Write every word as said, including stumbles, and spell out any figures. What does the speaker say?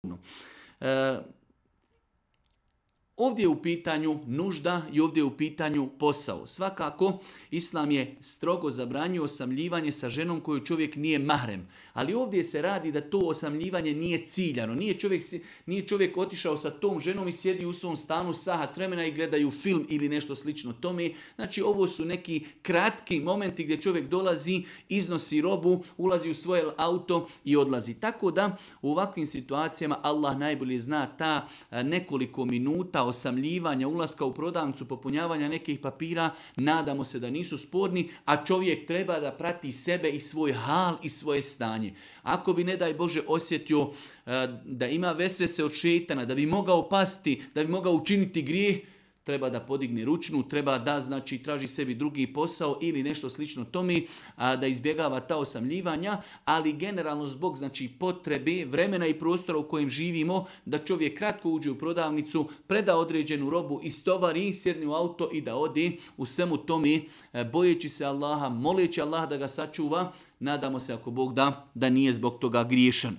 E, Ovdje je u pitanju nužda i ovdje je u pitanju posao. Svakako, Islam je strogo zabranio osamljivanje sa ženom koju čovjek nije mahrem. Ali ovdje se radi da to osamljivanje nije ciljano. Nije čovjek, nije čovjek otišao sa tom ženom i sjedi u svom stanu sahat vremena i gledaju film ili nešto slično tome. Znači, ovo su neki kratki momenti gdje čovjek dolazi, iznosi robu, ulazi u svoje auto i odlazi. Tako da u ovakvim situacijama Allah najbolje zna ta nekoliko minuta osamljivanja, ulaska u prodavnicu, popunjavanja nekih papira, nadamo se da nisu sporni, a čovjek treba da prati sebe i svoj hal i svoje stanje. Ako bi, ne daj Bože, osjetio da ima vesvese od šejtana, da bi mogao pasti, da bi mogao učiniti grijeh, treba da podigne ručnu, treba da, znači, traži sebi drugi posao ili nešto slično tome, a, da izbjegava ta osamljivanja, ali generalno zbog, znači, potrebe, vremena i prostora u kojem živimo, da čovjek kratko uđe u prodavnicu, preda određenu robu, istovari, sjedne u auto i da ode u svemu tome, bojeći se Allaha, moleći Allaha da ga sačuva, nadamo se, ako Bog da, da nije zbog toga griješan.